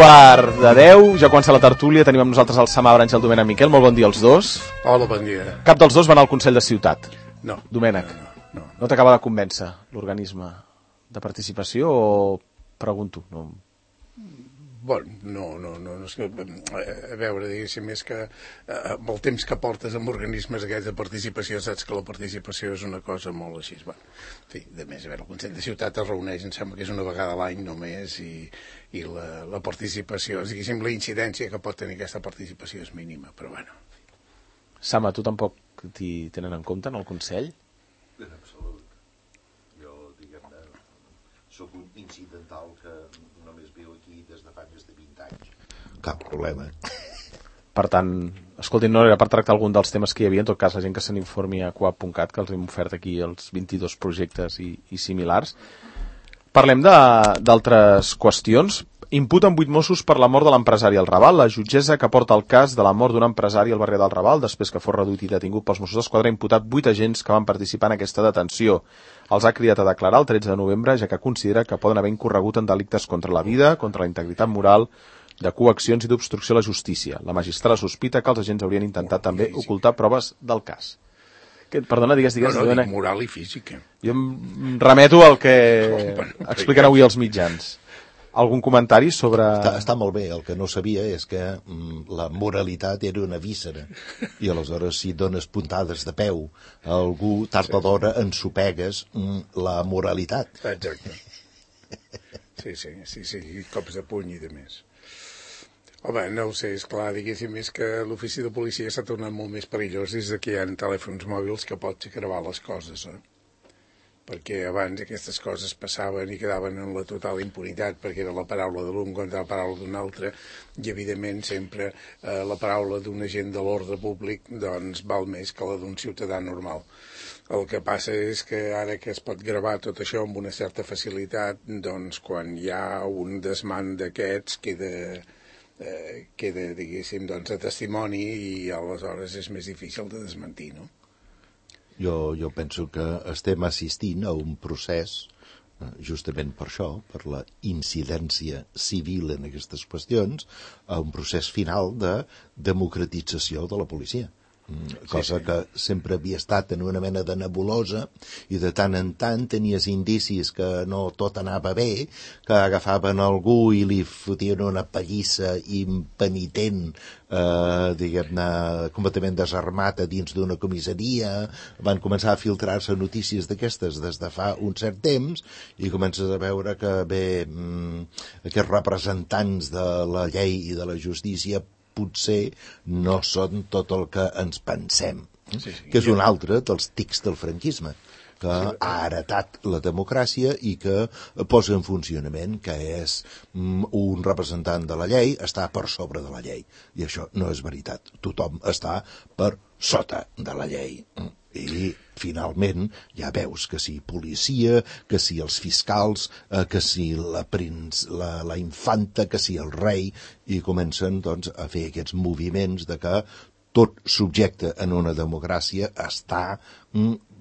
9:15, ja comença la tertúlia. Tenim amb nosaltres el Samabra, Àngel Domènech, Miquel. Molt bon dia als dos. Hola, bon dia. Cap dels dos va anar al Consell de Ciutat? No. Domènech, no t'acaba de convèncer l'organisme de participació o pregunto? No. Bueno, no, és que, a veure, diguéssim, és que amb el temps que portes amb organismes aquests de participació, saps que la participació és una cosa molt així. Bueno, en fi, de més, a veure, el Consell de Ciutat es reuneix, em sembla que és una vegada a l'any només, i la participació, diguéssim, la incidència que pot tenir aquesta participació és mínima, però bueno. Sama, tu tampoc t'hi tenen en compte en el Consell? En absolut. Jo, diguem-ne, sóc un incidental que només viu aquí des de fa més de 20 anys. Cap problema. Per tant, escoltin, no era per tractar algun dels temes que hi havia, en tot cas la gent que se n'informi a coap.cat, que els hem ofert aquí els 22 projectes i similars. Parlem d'altres qüestions. Imputen 8 Mossos per la mort de l'empresari al Raval. La jutgessa que porta el cas de la mort d'un empresari al barri del Raval, després que fos reduït i detingut pels Mossos d'Esquadra, ha imputat 8 agents que van participar en aquesta detenció. Els ha cridat a declarar el 13 de novembre, ja que considera que poden haver incorregut en delictes contra la vida, contra la integritat moral, de coaccions i d'obstrucció a la justícia. La magistrada sospita que els agents haurien intentat també ocultar proves del cas. Perdona, digues. No, dic moral i física. Jo em remeto al que expliquen avui els mitjans. Algun comentari sobre... Està molt bé, el que no sabia és que la moralitat era una víscera i aleshores si dones puntades de peu a algú, tard o d'hora ensopegues la moralitat. Exacte. Sí, cops de puny i de més. Home, no ho sé, és clar, diguéssim, és que l'ofici de policia s'ha tornat molt més perillós des que hi ha telèfons mòbils que pots gravar les coses, perquè abans aquestes coses passaven i quedaven en la total impunitat, perquè era la paraula de l'un contra la paraula d'un altre, i evidentment sempre la paraula d'un agent de l'ordre públic doncs val més que la d'un ciutadà normal. El que passa és que ara que es pot gravar tot això amb una certa facilitat, doncs quan hi ha un desmant d'aquests queda, diguéssim, doncs, a testimoni i aleshores és més difícil de desmentir, no? Jo penso que estem assistint a un procés, justament per això, per la incidència civil en aquestes qüestions, a un procés final de democratització de la policia. Cosa que sempre havia estat en una mena de nebulosa i de tant en tant tenies indicis que no tot anava bé, que agafaven algú i li fotien una pallissa impenitent, diguem-ne, completament desarmat a dins d'una comissaria. Van començar a filtrar-se notícies d'aquestes des de fa un cert temps i comences a veure que aquests representants de la llei i de la justícia potser no són tot el que ens pensem, que és un altre dels tics del franquisme, que ha heretat la democràcia i que posa en funcionament que és un representant de la llei, està per sobre de la llei. I això no és veritat. Tothom està per sota de la llei. I finalment ja veus que si policia, que si els fiscals, que si la infanta, que si el rei, i comencen doncs a fer aquests moviments de que tot subjecte en una democràcia està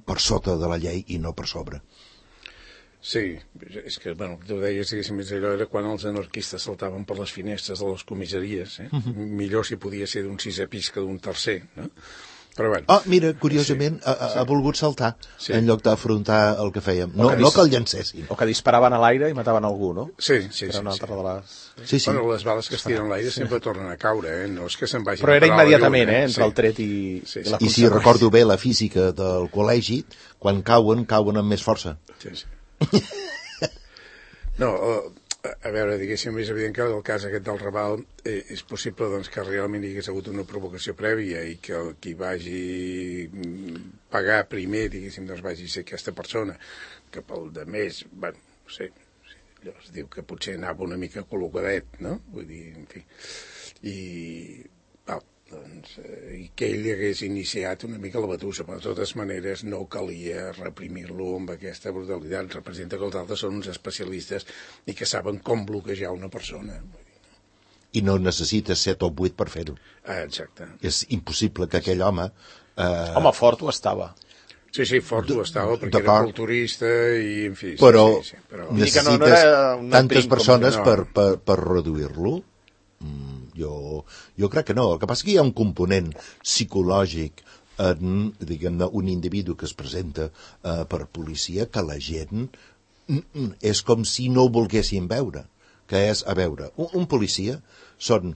per sota de la llei i no per sobre. Sí, és que, bueno, tu deies, diguéssim, allò era quan els anarquistes saltaven per les finestres de les comissaries, millor si podia ser d'un 6è pis que d'un 3è, no? Però bueno. Mira, curiosament, ha volgut saltar en lloc d'afrontar el que fèiem. No que el llancessin. O que disparaven a l'aire i mataven algú, no? Sí. Era una altra de les... Sí. Bueno, les bales que es tiren a l'aire sempre tornen a caure, no és que se'n vagin... Però era immediatament, entre el tret i la conseqüència. I si recordo bé la física del col·legi, quan cauen amb més força. Sí. No, a veure, diguéssim, és evident que el cas aquest del Raval és possible doncs, que realment hi hagués hagut una provocació prèvia i que el qui vagi pagar primer, diguéssim, doncs vagi ser aquesta persona, que pel de més, bueno, no sé, allò es diu que potser anava una mica col·locadet, no? Vull dir, en fi, i que ell hagués iniciat una mica la batussa, però de totes maneres no calia reprimir-lo amb aquesta brutalitat. Representa que els altres són uns especialistes i que saben com bloquejar una persona. I no necessites 7 o 8 per fer-ho. Exacte. És impossible que aquell home... Home, fort ho estava. Sí, fort ho estava, perquè era culturista i, en fi... Però però... necessites tantes persones per reduir-lo? Jo crec que no. El que passa és que hi ha un component psicològic en, diguem-ne, un individu que es presenta per policia que la gent és com si no ho volguessin veure. Que és, a veure, un policia són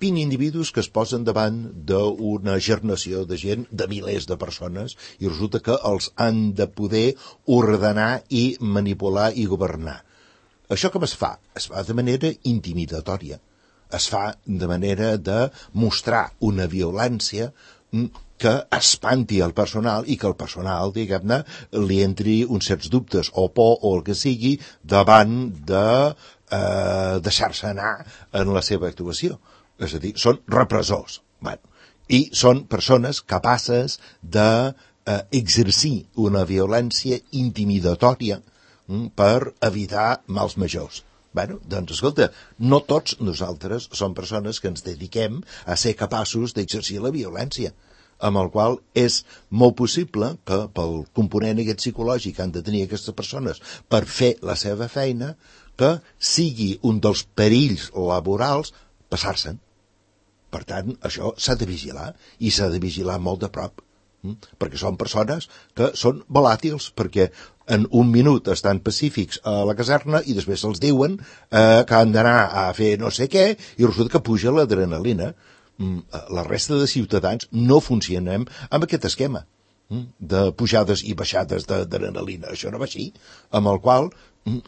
20 individus que es posen davant d'una gernació de gent, de milers de persones, i resulta que els han de poder ordenar i manipular i governar. Això com es fa? Es fa de manera intimidatòria. Es fa de manera de mostrar una violència que espanti el personal i que el personal, diguem-ne, li entri uns certs dubtes o por o el que sigui davant de deixar-se anar en la seva actuació. És a dir, són repressors. Bueno, i són persones capaces d'exercir una violència intimidatòria per evitar mals majors. Bueno, doncs, escolta, no tots nosaltres som persones que ens dediquem a ser capaços d'exercir la violència, amb el qual és molt possible que pel component aquest psicològic que han de tenir aquestes persones per fer la seva feina, que sigui un dels perills laborals passar-se'n. Per tant, això s'ha de vigilar, i s'ha de vigilar molt de prop, perquè són persones que són volàtils, perquè en un minut estan pacífics a la caserna i després els diuen que han d'anar a fer no sé què i resulta que puja l'adrenalina. La resta de ciutadans no funcionem amb aquest esquema de pujades i baixades d'adrenalina. Això no va així, amb el qual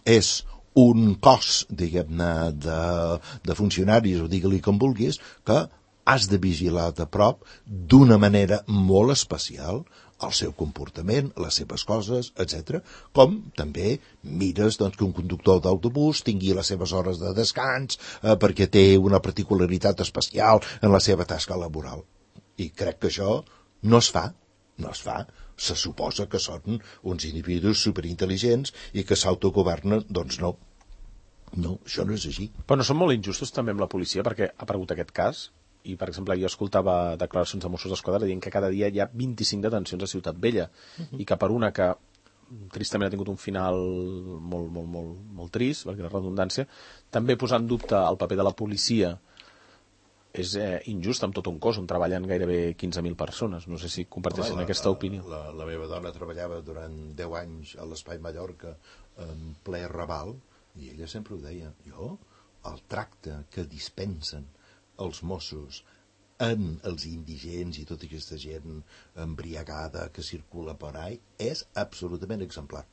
és un cos, diguem-ne, de funcionaris, o digue-li com vulguis, que has de vigilar de prop d'una manera molt especial el seu comportament, les seves coses, etc. Com també mires doncs, que un conductor d'autobús tingui les seves hores de descans perquè té una particularitat especial en la seva tasca laboral. I crec que això no es fa. Se suposa que són uns individus superintel·ligents i que s'autogovernen, doncs no. No, això no és així. Però no són molt injustos també amb la policia, perquè ha aparegut aquest cas, i per exemple jo escoltava declaracions de Mossos d'Esquadra dient que cada dia hi ha 25 detencions a Ciutat Vella, i que per una que tristament ha tingut un final molt trist, perquè la redundància, també posar en dubte el paper de la policia és injust amb tot un cos on treballen gairebé 15.000 persones. No sé si comparteixen aquesta opinió. La meva dona treballava durant 10 anys a l'Espai Mallorca en ple Raval, i ella sempre ho deia, el tracte que dispensen els Mossos en els indigents i tota aquesta gent embriagada que circula per ahí és absolutament exemplar.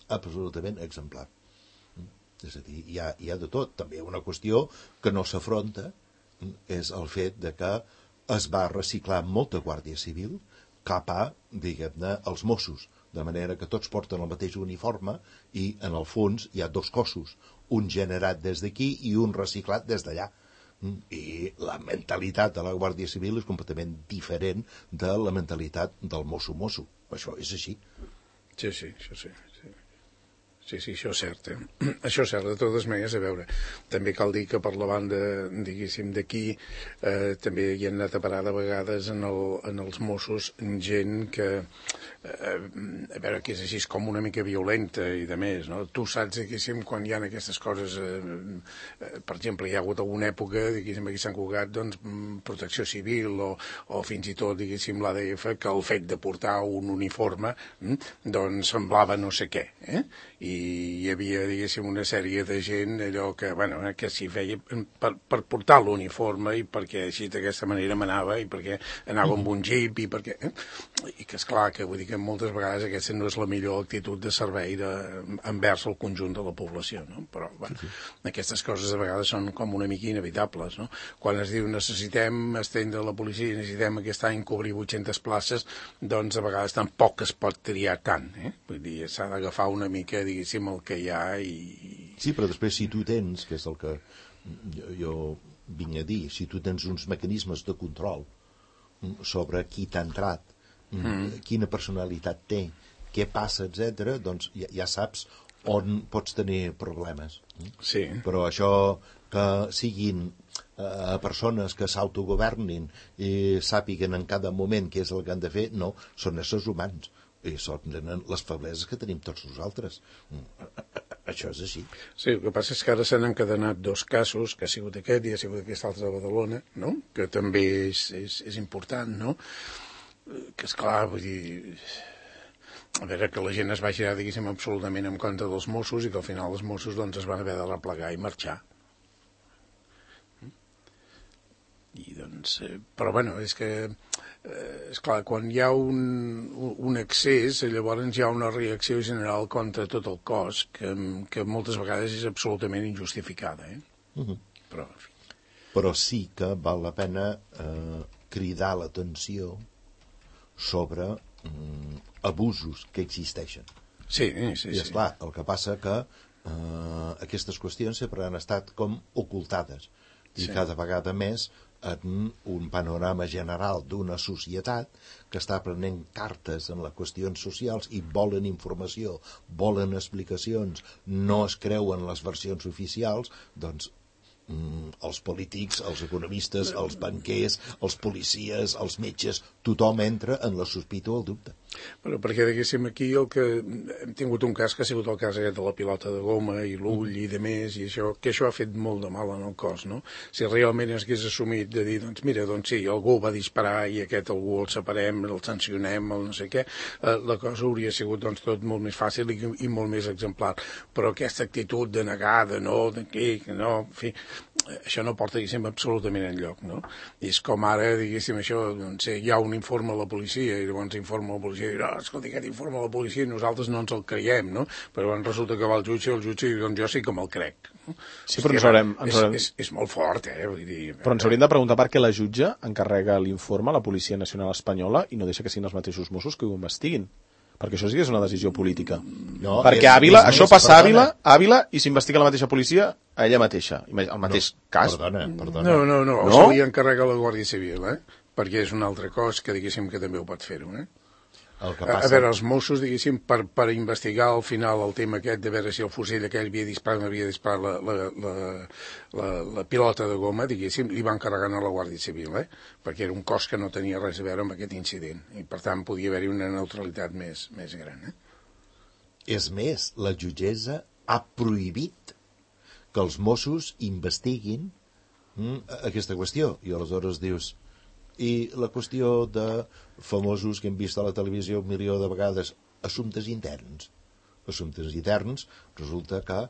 Absolutament exemplar. És a dir, hi ha de tot. També una qüestió que no s'afronta és el fet de que es va reciclar molta Guàrdia Civil cap a, diguem-ne, els Mossos, de manera que tots porten el mateix uniforme i, en el fons, hi ha dos cossos, un generat des d'aquí i un reciclat des d'allà. I la mentalitat de la Guàrdia Civil és completament diferent de la mentalitat del mosso-mosso. Això és així. Sí, això sí. Sí, això és cert, Això és cert, de totes maneres, a veure, també cal dir que per la banda, diguéssim, d'aquí, també hi han anat a parar de vegades en els Mossos gent que, a veure, que és així com una mica violenta i de més, no? Tu saps, diguéssim, quan hi ha aquestes coses, per exemple, hi ha hagut alguna època, diguéssim, aquí a Sant Cugat, doncs, protecció civil o fins i tot, diguéssim, l'ADF, que el fet de portar un uniforme, doncs, semblava no sé què, i hi havia, diguéssim, una sèrie de gent allò que, bueno, que s'hi feia per portar l'uniforme i perquè així d'aquesta manera manava i perquè anava amb un jeep i perquè... I que, esclar, que vull dir que moltes vegades aquesta no és la millor actitud de servei envers el conjunt de la població, no? Però, bueno, aquestes coses a vegades són com una mica inevitables, no? Quan es diu necessitem estendre la policia, necessitem aquest any cobrir 800 places, doncs a vegades tampoc es pot triar tant, Vull dir, s'ha d'agafar una mica, diguéssim, el que hi ha i... Sí, però després si tu tens, que és el que jo vinc a dir, si tu tens uns mecanismes de control sobre qui t'ha entrat, quina personalitat té, què passa, etc., doncs ja saps on pots tenir problemes. Sí. Però això que siguin persones que s'autogovernin i sàpiguen en cada moment què és el que han de fer, no, són éssers humans. I tenen les febleses que tenim tots nosaltres. Això és així. Sí, el que passa és que ara s'han encadenat 2 casos, que ha sigut aquest i ha sigut aquest altre de Badalona, no? Que també és important, no? Que esclar, vull dir, a veure, que la gent es va girar, diguéssim, absolutament en contra dels Mossos i que al final els Mossos doncs, es van haver de replegar i marxar. I doncs, però bueno, és que esclar, quan hi ha un excés, llavors hi ha una reacció general contra tot el cos que moltes vegades és absolutament injustificada, Però sí que val la pena cridar l'atenció sobre abusos que existeixen. Sí. I esclar, el que passa que aquestes qüestions sempre han estat com ocultades i cada vegada més en un panorama general d'una societat que està prenent cartes en les qüestions socials i volen informació, volen explicacions, no es creuen les versions oficials, doncs els polítics, els economistes, els banquers, els policies, els metges, tothom entra en la sospita o el dubte. Però perquè, diguéssim, aquí el que hem tingut un cas que ha sigut el cas aquest de la pilota de goma i l'ull i de més, i això, que això ha fet molt de mal en el cos, no? Si realment es hagués assumit de dir, doncs mira, doncs sí, algú va disparar i aquest algú el separem, el sancionem, el no sé què, la cosa hauria sigut doncs tot molt més fàcil i molt més exemplar. Però aquesta actitud de negar, de no, de què, no, en fi, això no porta, diguéssim, absolutament enlloc, no? I és com ara, diguéssim, això, doncs hi ha un informe a la policia i llavors informa la policia i diu, no, escolta, aquest informe a la policia i nosaltres no ens el creiem, no? Però llavors resulta que va el jutge diu, doncs jo sí que me'l crec. Sí, però és molt fort, vull dir... Però ens hauríem de preguntar per què la jutge encarrega l'informe a la Policia Nacional Espanyola i no deixa que siguin els mateixos Mossos que ho investiguin. Perquè això sí que és una decisió política. No, perquè Àvila, això passa a Àvila i s'investiga la mateixa policia a ella mateixa. El mateix cas. Perdona. No, se li encarrega la Guàrdia Civil, perquè és un altre cos que, diguéssim, que també ho pot fer-ho, El que passa... A veure, els Mossos, diguéssim, per investigar al final el tema aquest de veure si el fusell aquell havia disparat la pilota de goma, diguéssim, li van carregant a la Guàrdia Civil, perquè era un cos que no tenia res a veure amb aquest incident, i per tant podia haver-hi una neutralitat més gran. És més, la jutgessa ha prohibit que els Mossos investiguin aquesta qüestió, i aleshores dius... I la qüestió de famosos que hem vist a la televisió 1 milió de vegades, assumptes interns. Assumptes interns resulta que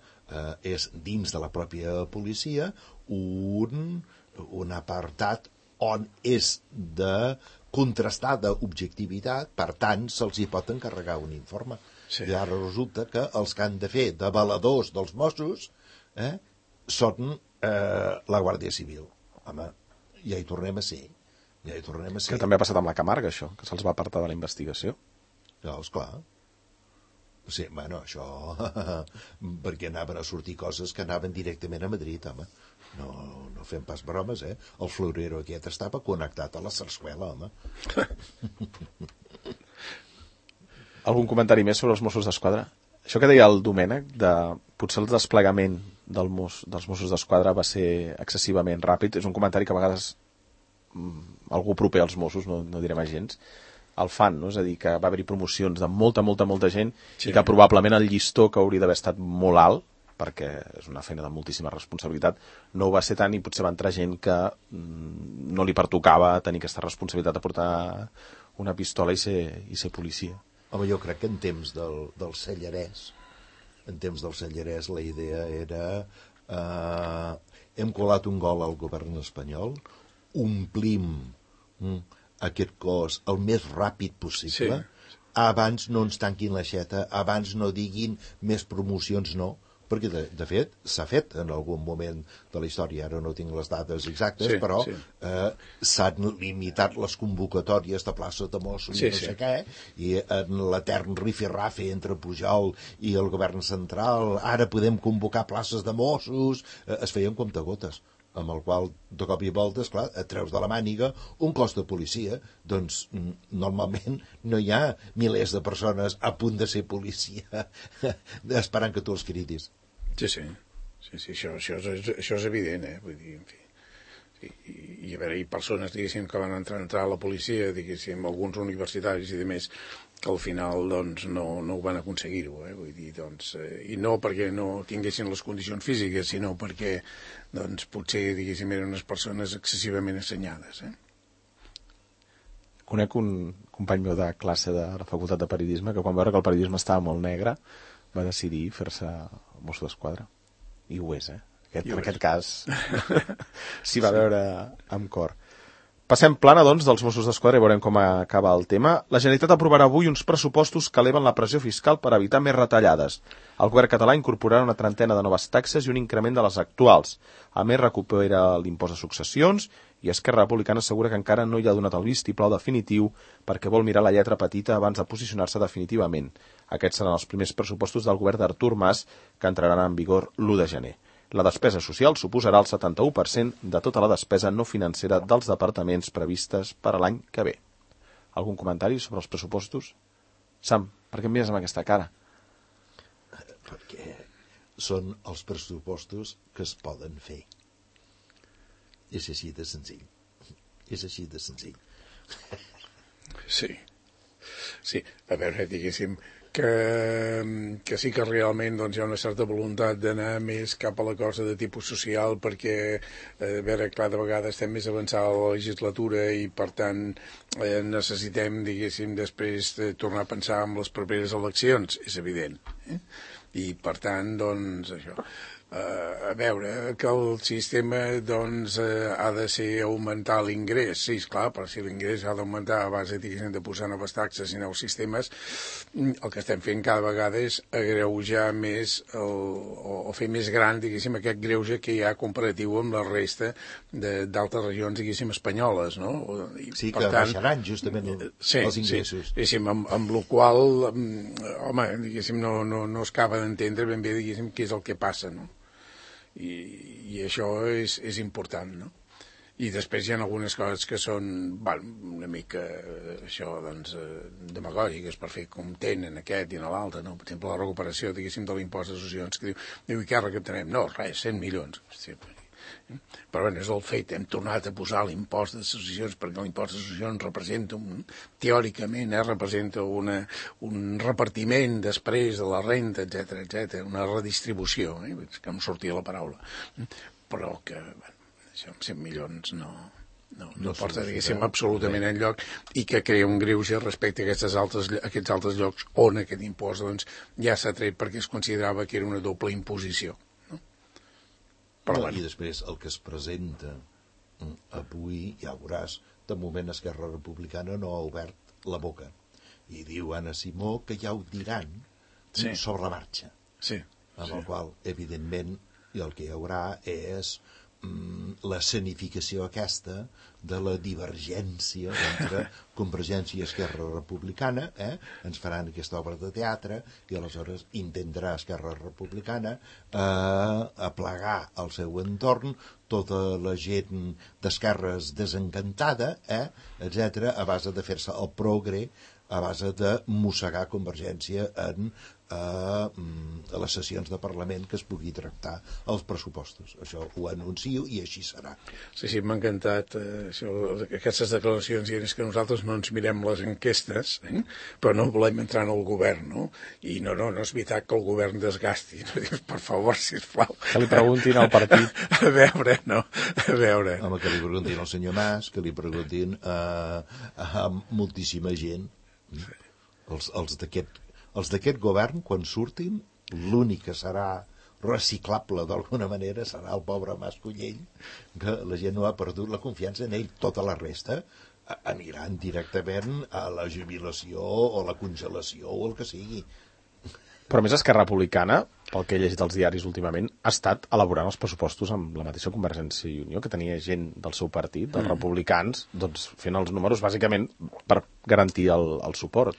és dins de la pròpia policia un apartat on és de contrastada objectivitat, per tant se'ls hi pot encarregar un informe. I ara resulta que els que han de fer de valedors dels Mossos són la Guàrdia Civil. Home, ja hi tornem a ser. Que també ha passat amb la Camarga, això, que se'ls va apartar de la investigació. No, esclar. Sí, bueno, això... perquè anaven a sortir coses que anaven directament a Madrid, home. No fem pas bromes, El florero aquest estava connectat a la Sarsuela, home. Algun comentari més sobre els Mossos d'Esquadra? Això que deia el Domènec, potser el desplegament dels Mossos d'Esquadra va ser excessivament ràpid, és un comentari que a vegades algú proper als Mossos, no direm agents, el fan, no? És a dir, que va haver-hi promocions de molta gent i que probablement el llistó que hauria d'haver estat molt alt, perquè és una feina de moltíssima responsabilitat, no ho va ser tant i potser va entrar gent que no li pertocava tenir aquesta responsabilitat de portar una pistola i ser policia. Home, jo crec que en temps del Cellerès, la idea era hem colat un gol al govern espanyol, omplim aquest cos el més ràpid possible, abans no ens tanquin l'aixeta, abans no diguin més promocions, no, perquè de fet s'ha fet en algun moment de la història, ara no tinc les dades exactes, però s'han limitat les convocatòries de places de Mossos i no sé què, i en l'etern rifirrafe entre Pujol i el govern central, ara podem convocar places de Mossos, es feien comptagotes, amb el qual, de cop i volta, esclar, et treus de la màniga un cos de policia, doncs normalment no hi ha milers de persones a punt de ser policia esperant que tu els cridis. Sí, això és evident, vull dir, en fi. I a veure, hi persones, diguéssim, que van entrar a la policia, diguéssim, alguns universitaris i demés, que al final doncs, no ho van aconseguir-ho, vull dir, doncs, i no perquè no tinguessin les condicions físiques, sinó perquè doncs, potser, diguéssim, eren unes persones excessivament assenyades. Conec un company meu de classe de la facultat de periodisme que quan va veure que el periodisme estava molt negre va decidir fer-se Mosso d'Esquadra. I ho és, en aquest cas s'hi va veure amb cor. Passem plana, doncs, dels Mossos d'Esquadra i veurem com acaba el tema. La Generalitat aprovarà avui uns pressupostos que eleven la pressió fiscal per evitar més retallades. El govern català incorporarà una trentena de noves taxes i un increment de les actuals. A més, recupera l'impost de successions i Esquerra Republicana assegura que encara no hi ha donat el vistiplau definitiu perquè vol mirar la lletra petita abans de posicionar-se definitivament. Aquests seran els primers pressupostos del govern d'Artur Mas que entraran en vigor l'1 de gener. La despesa social suposarà el 71% de tota la despesa no financera dels departaments previstes per a l'any que ve. Algun comentari sobre els pressupostos? Sam, per què em mires amb aquesta cara? Perquè són els pressupostos que es poden fer. És així de senzill. És així de senzill. Sí. Sí, a veure, diguéssim que sí que realment doncs, hi ha una certa voluntat d'anar més cap a la cosa de tipus social perquè, a veure, cada vegada estem més avançada a la legislatura i, per tant, necessitem, diguéssim, després tornar a pensar en les properes eleccions, és evident. I, per tant, doncs, això... a veure, que el sistema doncs ha de ser augmentar l'ingrés, sí, esclar, però si l'ingrés ha d'augmentar a base, diguéssim, de posar noves taxes i nous sistemes, el que estem fent cada vegada és agreujar més o fer més gran, diguéssim, aquest greuge que hi ha comparatiu amb la resta d'altres regions, diguéssim, espanyoles, no? I, sí, que baixaran justament els ingressos. Sí, diguéssim, amb la qual, home, diguéssim, no es acaba d'entendre ben bé, diguéssim, què és el que passa, no? I això és important, no? I després hi ha algunes coses que són una mica això, doncs, demagògiques per fer com tenen aquest i l'altre, no? Per exemple, la recuperació, diguéssim, de l'impost de successions, que diu, i què recaptarem? No, res, 100 milions. Però bé, és el fet, hem tornat a posar l'impost de successions perquè l'impost de successions representa, teòricament, representa un repartiment després de la renta, etc, una redistribució, que em sortia la paraula, però que, bueno, això amb 100 milions no porta, diguéssim, absolutament enlloc i que crea un greuge respecte a aquests altres llocs on aquest impost doncs, ja s'ha tret perquè es considerava que era una doble imposició. I després el que es presenta avui, ja veuràs, de moment Esquerra Republicana no ha obert la boca. I diu Anna Simó que ja ho diran sobre la marxa. Sí. Amb el qual, evidentment, el que hi haurà és l'escenificació aquesta de la divergència entre Convergència i Esquerra Republicana, ens faran aquesta obra de teatre i aleshores intentarà Esquerra Republicana aplegar al seu entorn tota la gent d'esquerres desencantada, etc, a base de fer-se el progre, a base de mossegar Convergència en les sessions de Parlament que es pugui tractar els pressupostos. Això ho anuncio i així serà. Sí, m'ha encantat aquestes declaracions, i és que nosaltres no ens mirem les enquestes, però no volem entrar en el govern, no? I no és veritat que el govern desgasti. Per favor, sisplau. Que li preguntin al partit. A veure. Home, que li preguntin al senyor Mas, que li preguntin a moltíssima gent. Els d'aquest govern, quan surtin, l'únic que serà reciclable d'alguna manera serà el pobre Mas Collell, que la gent no ha perdut la confiança en ell. Tota la resta aniran directament a la jubilació o la congelació o el que sigui. Però més Esquerra Republicana, pel que he llegit als diaris últimament, ha estat elaborant els pressupostos amb la mateixa Convergència i Unió, que tenia gent del seu partit, dels republicans, doncs fent els números bàsicament per garantir el suport.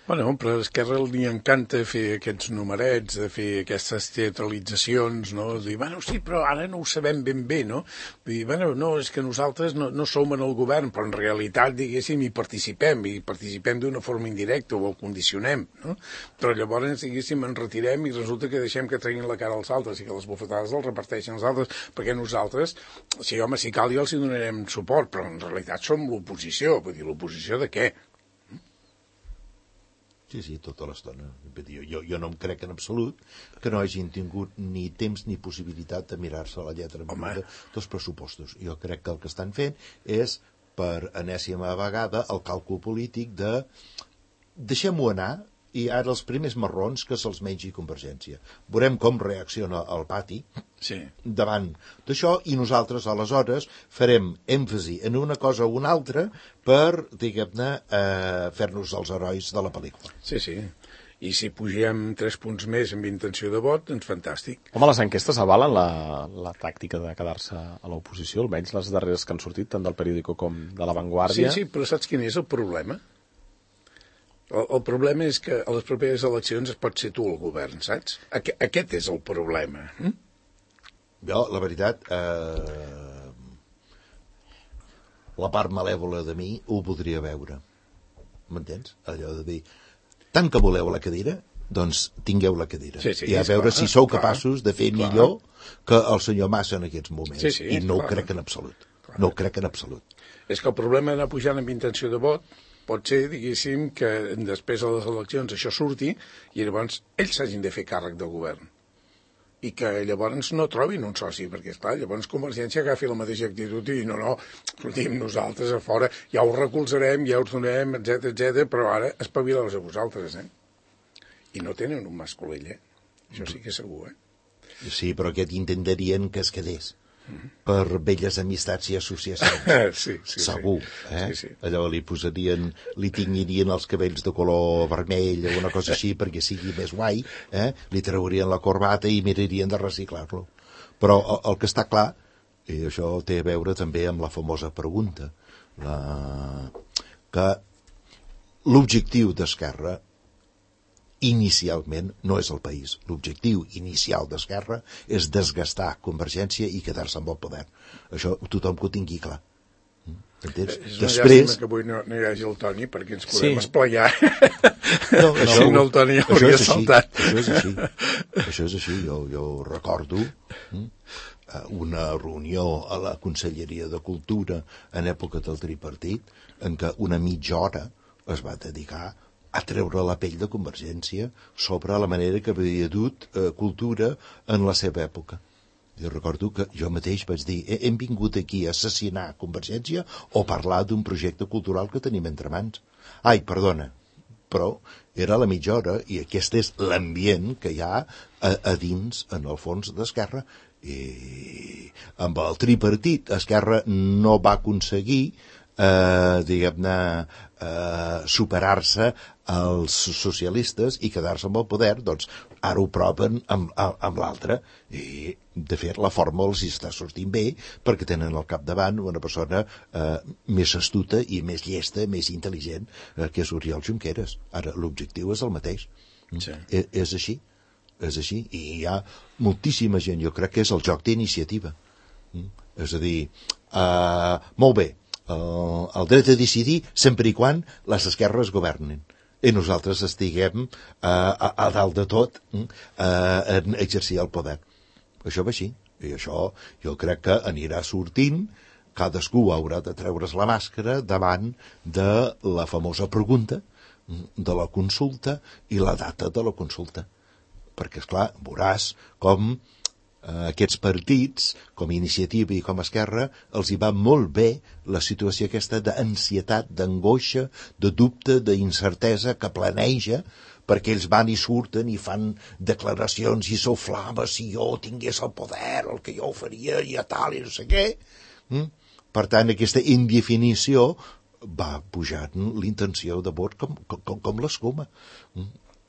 Bueno, però a Esquerra li encanta fer aquests numerets, de fer aquestes teatralitzacions, no? Dir, bueno, sí, però ara no ho sabem ben bé, no? Dir, bueno, no, és que nosaltres no som en el govern, però en realitat, diguéssim, hi participem d'una forma indirecta o el condicionem, no? Però llavors, diguéssim, ens retirem i resulta que deixem que treguin la cara als altres i que les bufetades els reparteixen als altres, perquè nosaltres, sí, home, si cal ja els hi donarem suport, però en realitat som l'oposició. Vull dir, l'oposició de què? Sí, tota l'estona. Jo no em crec en absolut que no hagin tingut ni temps ni possibilitat de mirar-se la lletra menuda dels pressupostos. Jo crec que el que estan fent és, per enèsima vegada, el càlcul polític de deixem-ho anar i ara els primers marrons que se'ls mengi Convergència. Veurem com reacciona el pati davant d'això i nosaltres aleshores farem èmfasi en una cosa o una altra per, diguem-ne, fer-nos els herois de la pel·lícula. Sí. I si pugem 3 punts més amb intenció de vot, doncs fantàstic. Home, les enquestes avalen la tàctica de quedar-se a l'oposició, almenys les darreres que han sortit, tant del Periódico com de La Vanguardia. Sí, però saps quin és el problema? El problema és que a les properes eleccions es pot ser tu el govern, saps? Aquest és el problema. Jo, la veritat, la part malèvola de mi ho podria veure. M'entens? Allò de dir, tant que voleu la cadira, doncs tingueu la cadira. I a veure si sou capaços de fer millor que el senyor Massa en aquests moments. I no ho crec en absolut. No ho crec en absolut. És que el problema d'anar pujant amb intenció de vot pot ser, diguéssim, que després de les eleccions això surti i llavors ells s'hagin de fer càrrec del govern. I que llavors no trobin un soci, perquè, esclar, llavors Convergència agafi la mateixa actitud i no, escoltim, nosaltres a fora ja us recolzarem, ja us donem, etc, però ara espavileu-vos a vosaltres, I no tenen un masculell, Això sí que és segur, Sí, però aquest intentaríem que es quedés. Per velles amistats i associacions. Sí. Segur, Sí. Allò li tinyirien els cabells de color vermell o una cosa així perquè sigui més guai, li traurien la corbata i mirarien de reciclar-lo. Però el que està clar, i això té a veure també amb la famosa pregunta, que l'objectiu d'Esquerra inicialment no és el país. L'objectiu inicial d'Esquerra és desgastar Convergència i quedar-se amb el poder. Això tothom que ho tingui clar. Entens? És una llàstima que avui no hi hagi el Toni perquè ens podem esplaiar. Si no el Toni hauria saltat. Això és així. Jo recordo una reunió a la Conselleria de Cultura en època del tripartit en què una mitja hora es va dedicar a treure la pell de Convergència sobre la manera que havia dut cultura en la seva època. Jo recordo que jo mateix vaig dir hem vingut aquí a assassinar Convergència o parlar d'un projecte cultural que tenim entre mans. Ai, perdona, però era la mitja hora i aquest és l'ambient que hi ha a dins, en el fons d'Esquerra. I amb el tripartit Esquerra no va aconseguir diguem-ne superar-se els socialistes i quedar-se amb el poder, doncs ara ho proven amb l'altre i de fet la forma els està sortint bé perquè tenen al capdavant una persona més astuta i més llesta, més intel·ligent que és Oriol Junqueras. Ara l'objectiu és el mateix. És així i hi ha moltíssima gent, jo crec que és el joc d'iniciativa, és a dir, molt bé, el dret a decidir sempre i quan les esquerres governin i nosaltres estiguem a dalt de tot en exercir el poder. Això va així i això jo crec que anirà sortint. Cadascú haurà de treure's la màscara davant de la famosa pregunta de la consulta i la data de la consulta, perquè esclar, veuràs com aquests partits, com Iniciativa i com Esquerra, els hi va molt bé la situació aquesta d'ansietat, d'angoixa, de dubte, d'incertesa que planeja, perquè ells van i surten i fan declaracions i s'oflama si jo tingués el poder, el que jo faria i a tal i no sé què. Per tant, aquesta indefinició va pujant l'intenció de vot com l'escuma.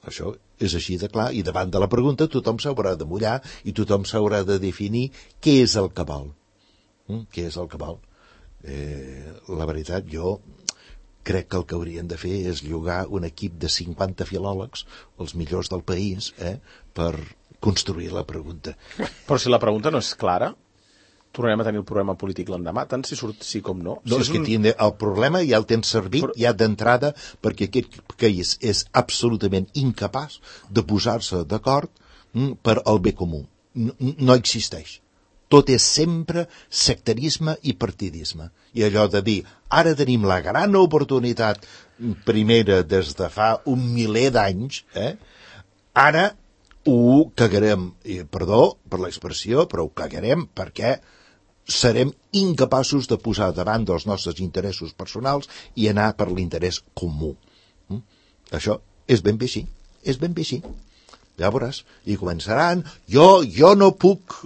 Això és així de clar, i davant de la pregunta tothom s'haurà de mullar i tothom s'haurà de definir què és el que vol. Què és el que vol? La veritat, jo crec que el que haurien de fer és llogar un equip de 50 filòlegs, els millors del país, per construir la pregunta. Però si la pregunta no és clara, tornarem a tenir el problema polític l'endemà, tant si surt sí com no. No, és que el problema ja el tens servit ja d'entrada perquè aquest país és absolutament incapaç de posar-se d'acord per al bé comú. No existeix. Tot és sempre sectarisme i partidisme. I allò de dir, ara tenim la gran oportunitat primera des de fa un miler d'anys, ara ho cagarem, perdó per l'expressió, però ho cagarem perquè serem incapaços de posar davant dels nostres interessos personals i anar per l'interès comú. Això és ben bé així, ja veuràs, i començaran, jo no puc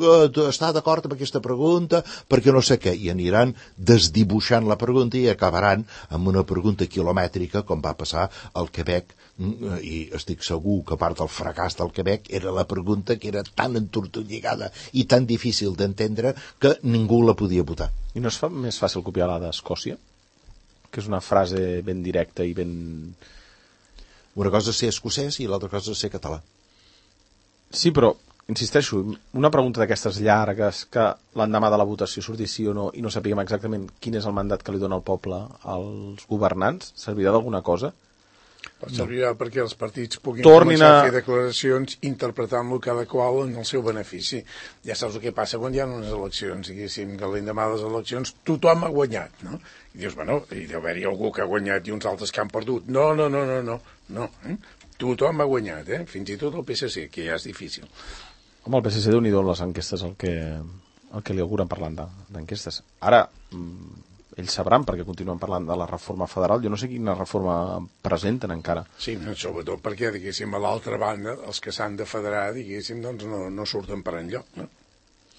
estar d'acord amb aquesta pregunta perquè no sé què, i aniran desdibuixant la pregunta i acabaran amb una pregunta quilomètrica com va passar al Quebec, i estic segur que part del fracàs del Quebec era la pregunta que era tan entortolligada i tan difícil d'entendre que ningú la podia votar. I no es fa més fàcil copiar la d'Escòcia? Que és una frase ben directa i ben... Una cosa és ser escocès i l'altra cosa és ser català. Sí, però, insisteixo, una pregunta d'aquestes llargues que l'endemà de la votació surti sí o no i no sapiguem exactament quin és el mandat que li dona el poble als governants, servirà d'alguna cosa? Servirà perquè els partits puguin començar a fer declaracions interpretant-lo cada qual en el seu benefici. Ja saps el que passa quan hi ha unes eleccions, diguéssim, que l'endemà de les eleccions tothom ha guanyat, no? I dius, bueno, hi deu haver-hi algú que ha guanyat i uns altres que han perdut. No. Tothom ha guanyat, fins i tot el PSC, que ja és difícil. Home, el PSC déu-n'hi-do les enquestes, el que li auguren parlant d'enquestes. Ara, ells sabran, perquè continuen parlant de la reforma federal. Jo no sé quina reforma presenten encara. Sí, sobretot perquè, diguéssim, a l'altra banda, els que s'han de federar, diguéssim, doncs no surten per enlloc, no?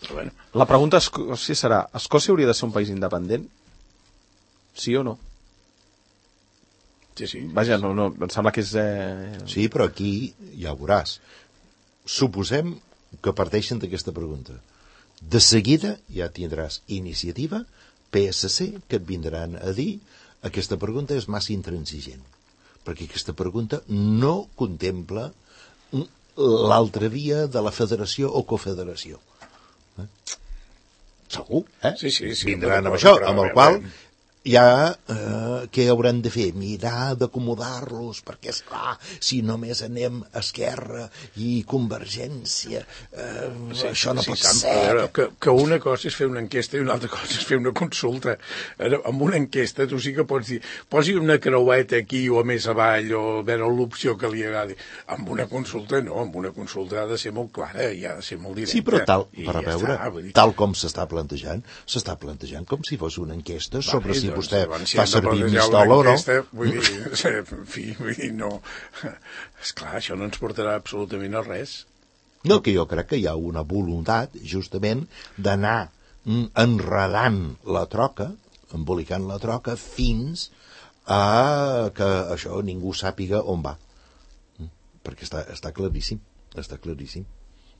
Però bueno. La pregunta si serà, Escòcia hauria de ser un país independent? Sí o no? Sí. Vaja, no, em sembla que és... Sí, però aquí ja ho veuràs. Suposem que parteixen d'aquesta pregunta. De seguida ja tindràs Iniciativa, PSC, que et vindran a dir aquesta pregunta és massa intransigent. Perquè aquesta pregunta no contempla l'altra via de la federació o confederació. Segur, Sí. Vindran amb això, amb el qual... ja què hauran de fer? Mirar d'acomodar-los, perquè, esclar, si només anem a Esquerra i Convergència, això no pot ser. Que una cosa és fer una enquesta i una altra cosa és fer una consulta. Amb una enquesta tu sí que pots dir, posi una creueta aquí o més avall o veure l'opció que li agradi. Amb una consulta no, amb una consulta ha de ser molt clara i ha de ser molt directa. Sí, però tal com s'està plantejant com si fos una enquesta sobre si vostè fa servir pistola o no. Vull dir, no. Esclar, això no ens portarà absolutament a res. No, que jo crec que hi ha una voluntat, justament, d'anar enredant la troca, embolicant la troca, fins a que això ningú sàpiga on va. Perquè està claríssim,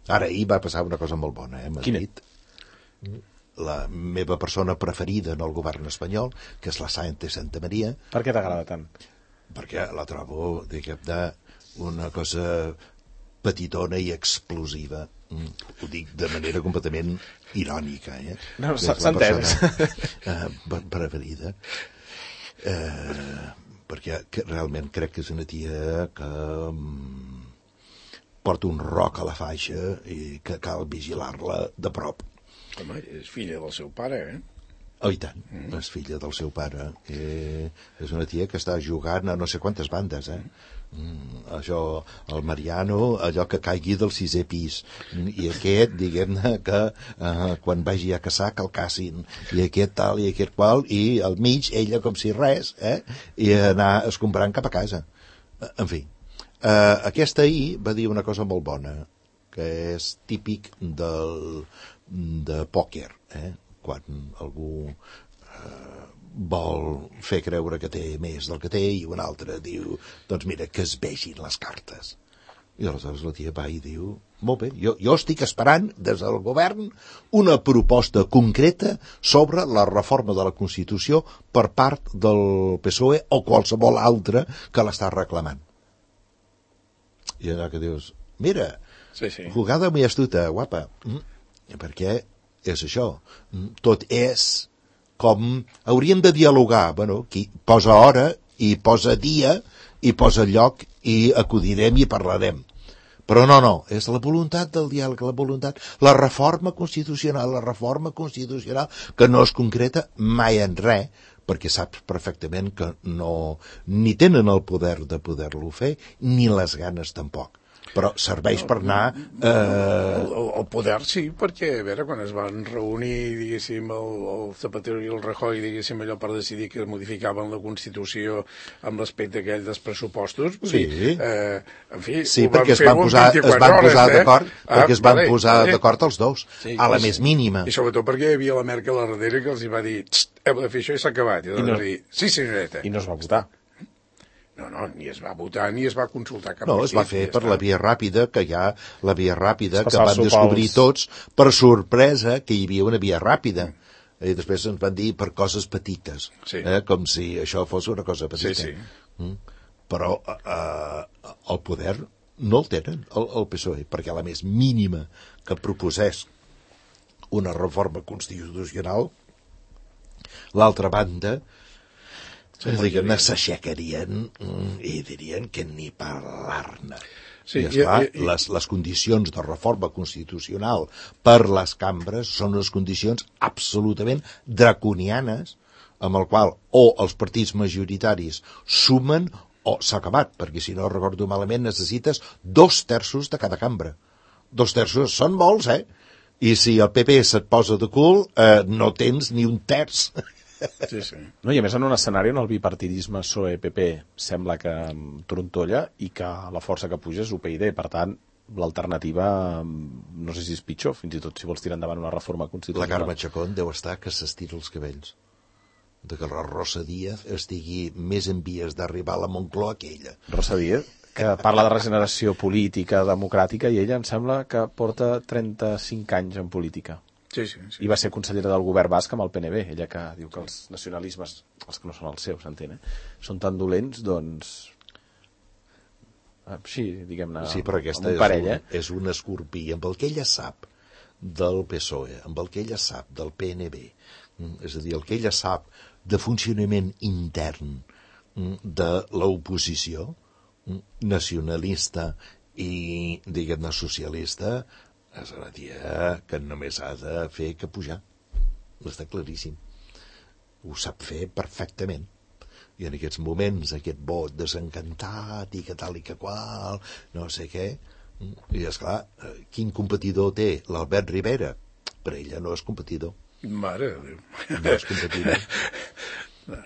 Ara, ahir va passar una cosa molt bona, a Madrid. La meva persona preferida en el govern espanyol, que és la Sáenz Santa Maria. Per què t'agrada tant? Perquè la trobo, diguem-ne, una cosa petitona i explosiva. Ho dic de manera completament irònica, No, s'ha entès. Preferida. Perquè realment crec que és una tia que porta un roc a la faixa i que cal vigilar-la de prop. Home, és filla del seu pare, Oh, i tant, és filla del seu pare. És una tia que està jugant a no sé quantes bandes, Això, el Mariano, allò que caigui del 6è pis. I aquest, diguem-ne, que quan vagi a caçar, que el cacin. I aquest tal, i aquest qual, i al mig, ella com si res, i anar escombrant cap a casa. En fi, aquesta ahir va dir una cosa molt bona, que és típic de pòquer, quan algú vol fer creure que té més del que té i un altre diu, doncs mira, que es vegin les cartes. I aleshores la tia va i diu, molt bé, jo estic esperant des del govern una proposta concreta sobre la reforma de la Constitució per part del PSOE o qualsevol altre que l'està reclamant. I allò que dius, mira, jugada muy astuta, guapa, perquè és això, tot és com hauríem de dialogar, qui posa hora i posa dia i posa lloc i acudirem i parlarem. Però no, és la voluntat del diàleg, la reforma constitucional que no es concreta mai en res, perquè saps perfectament que no ni tenen el poder de poder-lo fer, ni les ganes tampoc. Però serveix per anar... El poder sí, perquè, a veure, quan es van reunir, diguéssim, el Zapatero i el Rajoy, diguéssim, allò per decidir que modificaven la Constitució amb l'aspecte aquell dels pressupostos, vull dir, en fi, sí, ho van perquè fer en 24 hores, d'acord, perquè es van posar d'acord els dos, sí, a la més mínima. I sobretot perquè hi havia la Merkel a darrere que els hi va dir, heu de fer això i s'ha acabat. I no, dir, sí, senyoreta. I no es va votar. No, ni es va votar ni es va consultar cap No, es va fer per la via ràpida, que hi ha la via ràpida que van descobrir pels... tots per sorpresa que hi havia una via ràpida. I després ens van dir per coses petites, com si això fos una cosa petita. Sí. Però el poder no el tenen, el PSOE, perquè a la més mínima que proposés una reforma constitucional, l'altra banda diguem-ne, s'aixecarien i dirien que ni parlar-ne. Sí, i esclar, les condicions de reforma constitucional per les cambres són unes condicions absolutament draconianes amb el qual o els partits majoritaris sumen o s'ha acabat, perquè si no recordo malament necessites 2/3 de cada cambra. 2/3 són molts, I si el PP se't posa de cul, no tens ni un terç. Sí. No, i a més en un escenari on el bipartidisme PSOE-PP sembla que trontolla i que la força que puja és UPyD, per tant l'alternativa no sé si és pitjor, fins i tot si vols tirar endavant una reforma constitucional. La Carme Chacón deu estar que s'estira els cabells de que la Rosa Díaz estigui més en vies d'arribar a la Moncloa que ella. Rosa Díaz, que parla de regeneració política, democràtica, i ella em sembla que porta 35 anys en política. Sí. I va ser consellera del govern basc amb el PNB, ella que diu que els nacionalismes, els que no són els seus, s'entén, són tan dolents, doncs... Així, diguem-ne, sí, però aquesta amb un parell, és un escorpí, amb el que ella sap del PSOE, amb el que ella sap del PNB, és a dir, el que ella sap de funcionament intern de l'oposició nacionalista i, diguem-ne, socialista, és una tia que només ha de fer que pujar. Està claríssim. Ho sap fer perfectament. I en aquests moments, aquest vot desencantat i que tal i que qual, no sé què, i esclar, quin competidor té l'Albert Rivera? Per ella no és competidor. Mare de Déu. No és competidor.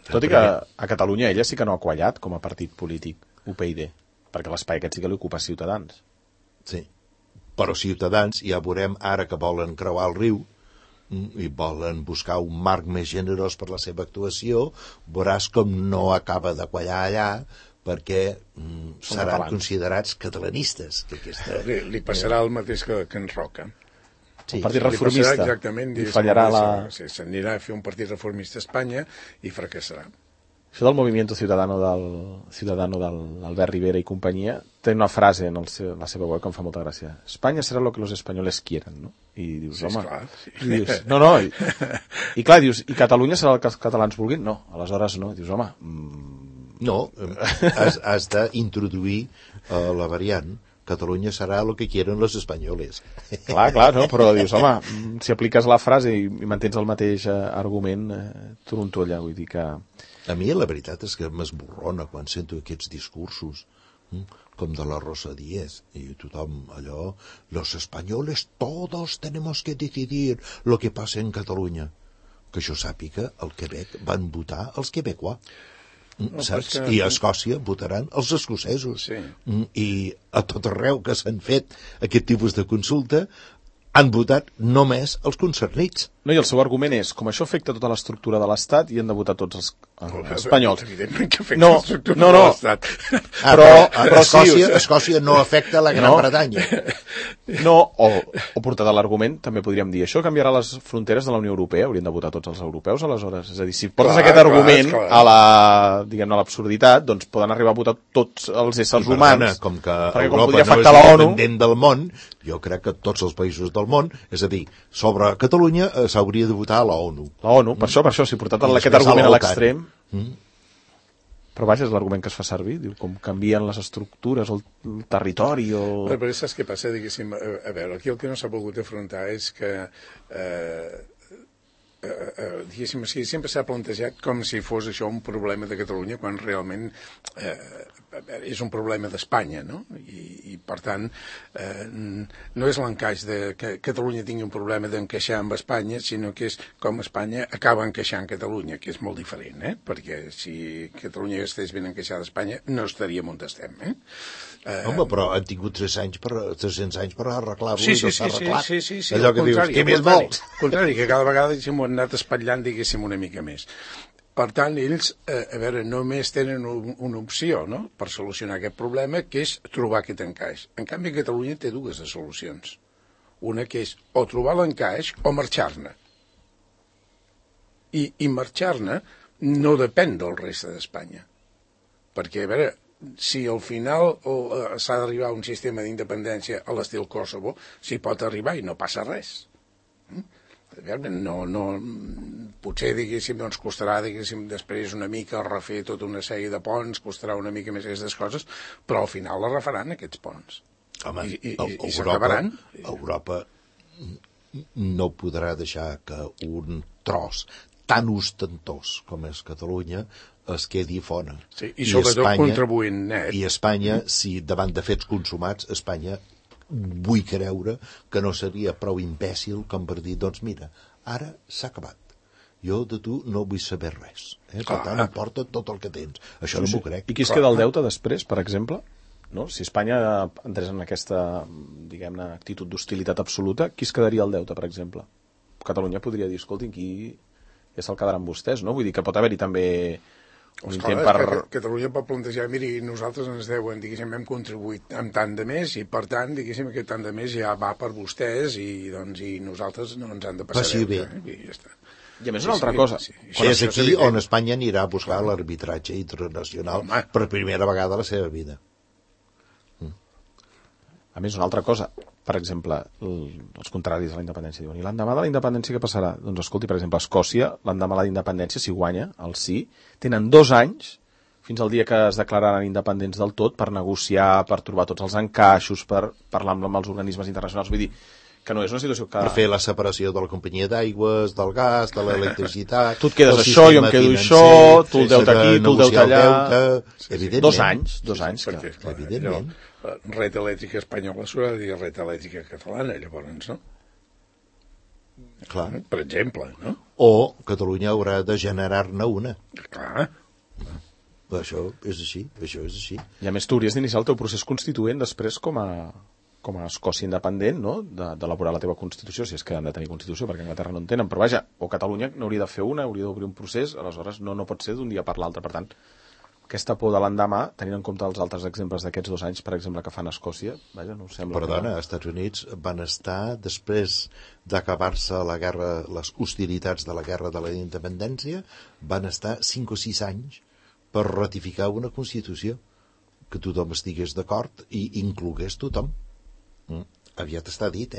Tot i que a Catalunya ella sí que no ha quallat com a partit polític, UPyD, perquè l'espai aquest sí que li ocupa Ciutadans. Sí. Però Ciutadans, ja veurem ara que volen creuar el riu i volen buscar un marc més generós per la seva actuació, veuràs com no acaba de quallar allà perquè seran considerats catalanistes. Que aquesta... li passarà el mateix que en Roca. Sí, el partit reformista. Exactament. I fallarà s'anirà a fer un partit reformista a Espanya i fracassarà. Això del Movimiento Ciudadano del Albert Rivera i companyia té una frase en la seva web que em fa molta gràcia. Espanya serà lo que los españoles quieran, no? I dius, home... Clar, sí. I dius, no, i clar, dius, i Catalunya serà el que els catalans vulguin? No, aleshores no. I dius, home... No, has d'introduir la variant. Catalunya serà el que quieren los españoles. Clar, no? Però dius, home, si apliques la frase i mantens el mateix argument, trontolla, vull dir que... A mi la veritat és que m'esborrona quan sento aquests discursos com de la Rosa Díez i tothom allò, los españoles todos tenemos que decidir lo que pasa en Catalunya. Que jo sàpiga, al Quebec van votar els quebecois. Saps? I a Escòcia votaran els escocesos. Sí. I a tot arreu que s'han fet aquest tipus de consulta han votat només els concernits. No, i el seu argument és, com això afecta tota l'estructura de l'Estat, i han de votar tots els espanyols. Evidentment que afecta l'estructura de l'Estat. Però Escòcia no afecta la Gran Bretanya. No, o portat a l'argument, també podríem dir, això canviarà les fronteres de la Unió Europea, haurien de votar tots els europeus, aleshores. És a dir, si portes aquest argument a l'absurditat, doncs poden arribar a votar tots els éssers humans. Com que Europa no és independent del món, jo crec que tots els països del món, és a dir, sobre Catalunya s'hauria de votar a l'ONU. L'ONU, per això, si portat aquest argument a l'extrem... Però vaja, és l'argument que es fa servir, diu, com canvien les estructures, el territori... Però saps què passa? Diguéssim, a veure, aquí el que no s'ha pogut afrontar és que diguéssim, sempre s'ha plantejat com si fos això un problema de Catalunya, quan realment és un problema d'Espanya, no? I per tant, no és l'encaix de que Catalunya tingui un problema d'encaixar amb Espanya, sinó que és com Espanya acaba encaixant Catalunya, que és molt diferent, perquè si Catalunya estigués ben encaixada a Espanya, no estaríem on estem, Home, però han tingut 300 anys per arreglar-lo i no s'ha arreglat. Sí. Allò que dius, què més vols? Al contrari, que cada vegada ho han anat espatllant, diguéssim, una mica més. Per tant, ells, només tenen una opció, no?, per solucionar aquest problema, que és trobar aquest encaix. En canvi, Catalunya té dues solucions. Una que és o trobar l'encaix o marxar-ne. I marxar-ne no depèn del reste d'Espanya. Perquè, si al final s'ha d'arribar a un sistema d'independència a l'estil Kosovo, s'hi pot arribar i no passa res. Potser, diguéssim, doncs costarà, diguéssim, després una mica refer tota una sèrie de ponts, costarà una mica més aquestes coses, però al final la refaran, aquests ponts. Home, I s'acabaran. Europa no podrà deixar que un tros tan ostentós com és Catalunya es quedi fora. Sí, i sobretot Espanya, contribuint net. I Espanya, si davant de fets consumats, Espanya vull creure que no seria prou imbècil com per dir, doncs mira, ara s'ha acabat. Jo de tu no vull saber res. Per tant, em porta tot el que tens. Això no m'ho crec. I qui es queda el deute després, per exemple? No? Si Espanya entrés en aquesta, diguem-ne, actitud d'hostilitat absoluta, qui es quedaria el deute, per exemple? Catalunya podria dir, escolti, qui ja se'l quedaran vostès, no? Vull dir que pot haver-hi també un intent per... Catalunya pot plantejar, miri, nosaltres ens deuen, diguéssim, hem contribuït amb tant de més i, per tant, diguéssim, aquest tant de més ja va per vostès i nosaltres no ens han de passar deute. I ja està. I a més una altra cosa. És aquí on Espanya anirà a buscar l'arbitratge internacional per primera vegada a la seva vida. A més, una altra cosa, per exemple, els contraris a la independència diuen, i l'endemà de la independència què passarà? Doncs escolti, per exemple, a Escòcia, l'endemà de la independència, si guanya el sí, tenen 2 anys fins al dia que es declararan independents del tot per negociar, per trobar tots els encaixos, per parlar amb els organismes internacionals. Vull dir que no és una situació que... Per fer la separació de la companyia d'aigües, del gas, de l'electricitat... Tu et quedes això, jo em quedo això, tu el deute aquí, tu el deute allà... Evidentment. 2 anys, perquè, clar, evidentment. Red elèctrica espanyola s'haurà de dir red elèctrica catalana, llavors, no? Clar. Per exemple, no? O Catalunya haurà de generar-ne una. Clar. Això és així. I a més tu hauries d'iniciar el teu procés constituent després com a Escòcia independent, no?, d'elaborar la teva Constitució, si és que han de tenir Constitució, perquè a Anglaterra no en tenen, però vaja, o Catalunya n'hauria de fer una, hauria d'obrir un procés, aleshores no pot ser d'un dia per l'altre. Per tant, aquesta por de l'endemà, tenint en compte els altres exemples d'aquests 2 anys, per exemple, que fan a Escòcia, vaja, no sembla... Perdona, als Estats Units van estar, després d'acabar-se la guerra, les hostilitats de la guerra de la independència, van estar 5 o 6 anys per ratificar una Constitució que tothom estigués d'acord i inclogués tothom. Aviat està dit,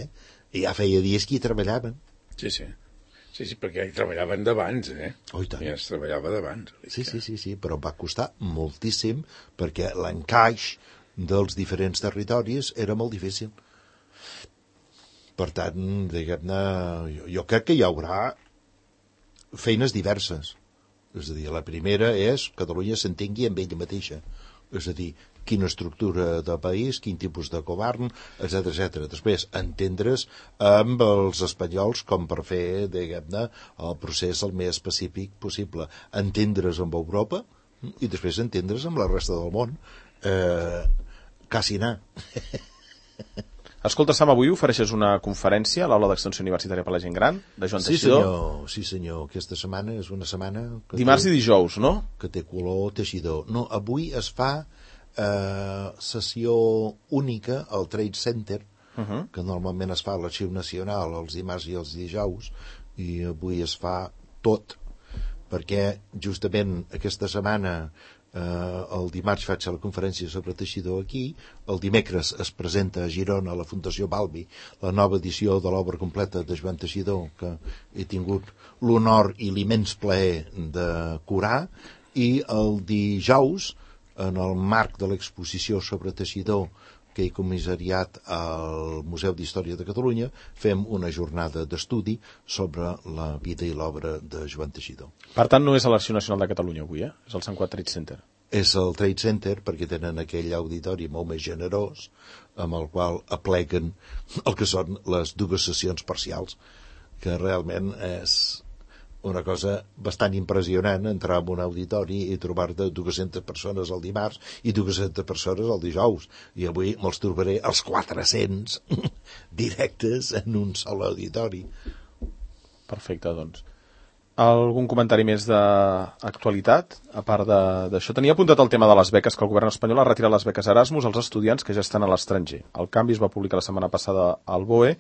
I ja feia dies que hi treballaven. Sí, perquè hi treballaven d'abans, Oh, i tant. Ja es treballava d'abans. Sí, però va costar moltíssim perquè l'encaix dels diferents territoris era molt difícil. Per tant, diguem-ne, jo crec que hi haurà feines diverses. És a dir, la primera és que Catalunya s'entengui amb ella mateixa. És a dir, quina estructura de país, quin tipus de govern, etc. Després, entendre's amb els espanyols com per fer, diguem-ne, el procés el més pacífic possible. Entendre's amb Europa i després entendre's amb la resta del món. Quasi anar. Escolta, Sam, avui ofereixes una conferència a l'Aula d'Extensió Universitària per la Gent Gran, de Joan Teixidor. Sí, senyor. Aquesta setmana és una setmana... Dimarts i dijous, no? Que té color Teixidor. No, avui es fa sessió única al Trade Center, que normalment es fa a l'Arxiu Nacional els dimarts i els dijous, i avui es fa tot, perquè justament aquesta setmana el dimarts faig la conferència sobre Teixidor aquí, el dimecres es presenta a Girona a la Fundació Balbi la nova edició de l'obra completa de Joan Teixidor, que he tingut l'honor i l'immens plaer de curar, i el dijous, en el marc de l'exposició sobre Teixidor que he comissariat al Museu d'Història de Catalunya, fem una jornada d'estudi sobre la vida i l'obra de Joan Teixidor. Per tant, no és a l'Arxiu Nacional de Catalunya avui, és el Sant Cugat Trade Center. És el Trade Center perquè tenen aquell auditori molt més generós amb el qual apleguen el que són les dues sessions parcials, que realment és una cosa bastant impressionant entrar en un auditori i trobar-te 200 persones el dimarts i 200 persones el dijous, i avui me'ls trobaré els 400 directes en un sol auditori. Perfecte, doncs. Algun comentari més d'actualitat? A part d'això, tenia apuntat el tema de les beques, que el govern espanyol ha retirat les beques Erasmus als estudiants que ja estan a l'estranger. El canvi es va publicar la setmana passada al BOE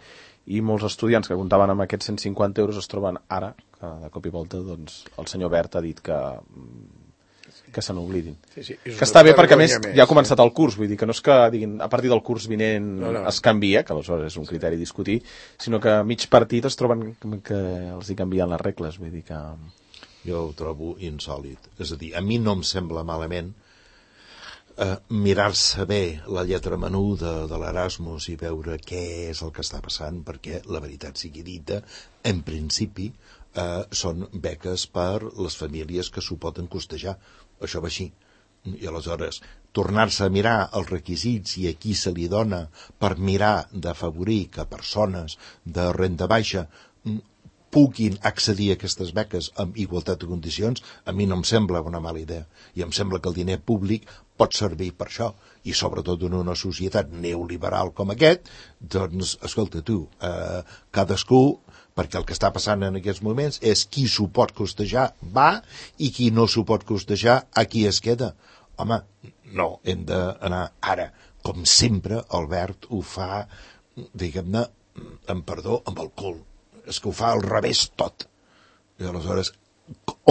i molts estudiants que comptaven amb aquests 150 euros es troben ara, que de cop i volta doncs, el senyor Bert ha dit que se n'oblidin. Sí, que està bé perquè, a més, ja ha començat el curs, vull dir que no és que diguin a partir del curs vinent es canvia, que aleshores és un criteri a discutir, sinó que a mig partit es troben que els hi canvien les regles, vull dir que... Jo ho trobo insòlid. És a dir, a mi no em sembla malament mirar-se bé la lletra menuda de l'Erasmus i veure què és el que està passant, perquè la veritat sigui dita, en principi són beques per les famílies que s'ho poden costejar. Això va així. I aleshores, tornar-se a mirar els requisits i a qui se li dona per mirar d'afavorir que persones de renda baixa puguin accedir a aquestes beques amb igualtat de condicions, a mi no em sembla una mala idea. I em sembla que el diner públic pot servir per això. I sobretot en una societat neoliberal com aquest, doncs, escolta tu, cadascú, perquè el que està passant en aquests moments és qui s'ho pot costejar va i qui no s'ho pot costejar aquí es queda. Home, no, hem d'anar ara. Com sempre, Albert ho fa, diguem-ne, amb perdó, amb el cul. És que ho fa al revés tot. I aleshores,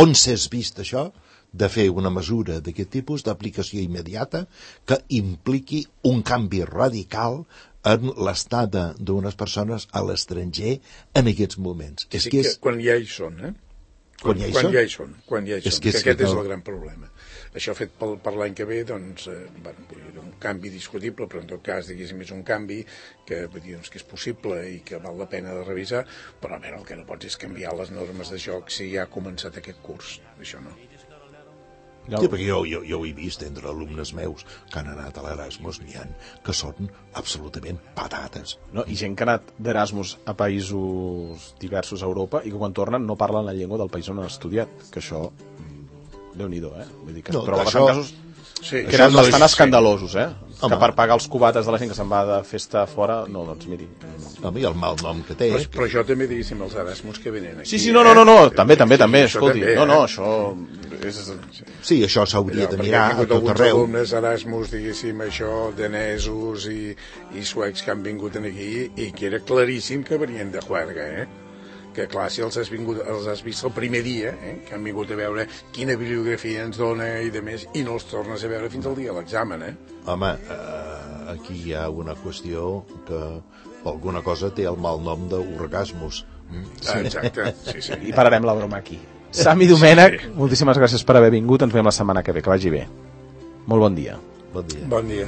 on s'és vist això de fer una mesura d'aquest tipus d'aplicació immediata que impliqui un canvi radical en l'estada d'unes persones a l'estranger en aquests moments? Sí, que quan ja hi són, Quan ja hi són. Que aquest és el gran problema. Això fet per l'any que ve, doncs, un canvi discutible, però en tot cas, diguéssim, és un canvi que, doncs, que és possible i que val la pena de revisar, però a veure, el que no pots és canviar les normes de joc si ja ha començat aquest curs. Això no. Sí, perquè jo ho he vist entre alumnes meus que han anat a l'Erasmus, n'hi ha que són absolutament patates. No, i gent que ha anat d'Erasmus a països diversos a Europa i que quan tornen no parlen la llengua del país on han estudiat, que això, Déu-n'hi-do, Vull dir que es troba bastant casos que eren bastant escandalosos, que per pagar els cubates de la gent que se'n va de festa fora, no, doncs miri. Home, i el mal nom que té. Però això també, diguéssim, els Erasmus que venen aquí. Sí, no, també, escolti. No, això és... Sí, això s'hauria de mirar a tot arreu. Alguns alumnes Erasmus, diguéssim, això, danesos i suecs que han vingut aquí i que era claríssim que venien de juerga, que clar, si els has vist el primer dia, que han vingut a veure quina bibliografia ens dona i de més, i no els tornes a veure fins al dia de l'examen, Home, aquí hi ha una qüestió que alguna cosa té el mal nom d'orgasmus. Exacte, sí. I pararem la broma aquí. Sami Domènech, moltíssimes gràcies per haver vingut, ens veiem la setmana que ve, que vagi bé. Molt bon dia. Bon dia. Bon dia.